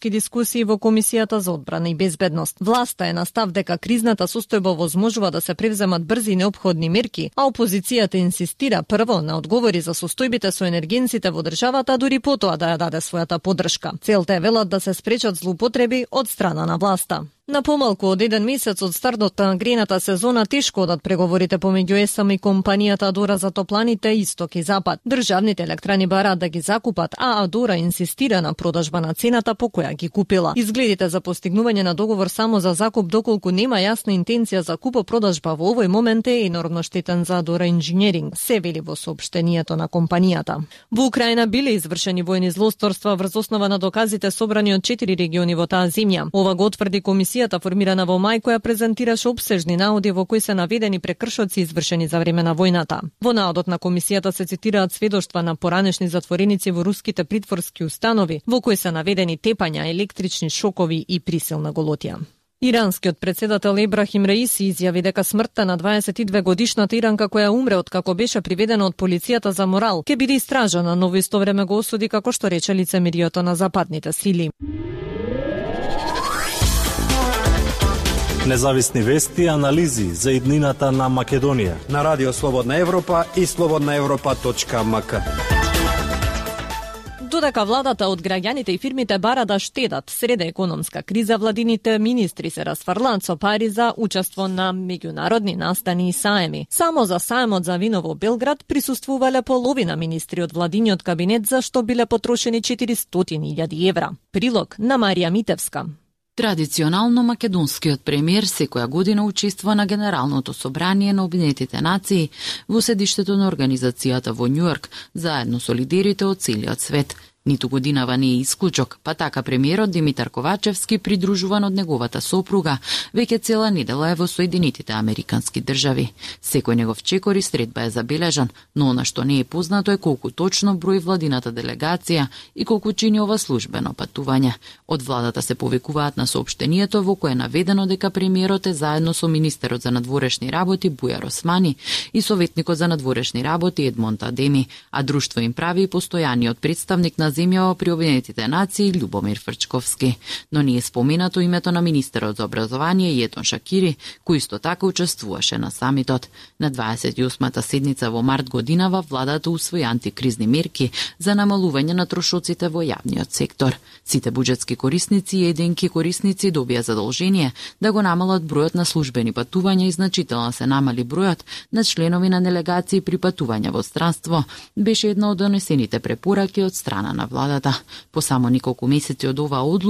дискусии во Комисијата за одбрана и безбедност. Власта е на став дека кризната состојба возможува да се превземат брзи и неопходни мерки, а опозицијата инсистира прво на одговори за состојбите со енергенците во државата, дури потоа да ја даде својата поддршка. Целта е, велат, да се спречат злоупотреби од страна на власта. На помалку од 1 месец од стартот на грејната сезона тешко одат преговорите помеѓу ЕСАМ и компанијата Адора за топланите Исток и Запад. Државните електрани бараат да ги закупат, а Адора инсистира на продажба на цената по која ги купила. Изгледите за постигнување на договор само за закуп, доколку нема јасна интенција за купо-продажба во овој момент, е енормно штетен за Адора Инженеринг, се вели во соопштението на компанијата. Во Украина биле извршени војни злосторства врз основа на доказите собрани од 4 региони во таа земја. Ова го утврди комисијата формирана во мај, која презентираше опсежни наоди во кои се наведени прекршоци извршени за време на војната. Во наодот на комисијата се цитираат сведоштва на поранешни затвореници во руските притворски установи, во кои се наведени тепања, електрични шокови и присилна голотија. Иранскиот председател Ебрахим Раиси изјави дека смртта на 22 годишната Иранка која умре откако беше приведена од полицијата за морал ќе биде истражана, но во исто време го осуди како што рече лицемерието на западните сили. Независни вести и анализи за иднината на Македонија на Радио Слободна Европа и slobodnaevropa.mk. Додека владата од граѓаните и фирмите бара да штедат среде економска криза, владините министри се расфрлаат со пари за учество на меѓународни настани и саеми. Само за саемот за вино во Белград присуствувале половина министри од владиниот кабинет, за што биле потрошени 400.000 евра. Прилог на Марија Митевска. Традиционално македонскиот премиер секоја година учествува на Генералното собрание на Обединетите нации во седиштето на организацијата во Њујорк, заедно со лидерите од целиот свет. Ниту годинава не е исклучок, па така премиерот Димитар Ковачевски, придружуван од неговата сопруга, веќе цела недела е во Соединетите Американски држави. Секој негов чекор и средба е забележан, но она што не е познато е колку точно број владината делегација и колку чини ова службено патување. Од владата се повекуваат на соопштението во кое е наведено дека премиерот е заедно со министерот за надворешни работи Бујар Османи и советникот за надворешни работи Едмонд Адеми, а друштво им прави и постојаниот представник на земјава при Обединетите нации Љубомир Фрчковски. Но не е споменато името на министерот за образование Јетон Шакири, кој исто така учествуваше на самитот. На 28-та седница во март годинава владата усвои антикризни мерки за намалување на трошоците во јавниот сектор. Сите буџетски корисници и единки корисници добија задолжение да го намалат бројот на службени патувања и значително се намали бројот на членови на делегации при патување во странство, беше една од донесените препораки од страна на владата. По само неколку месеци од оваа одлука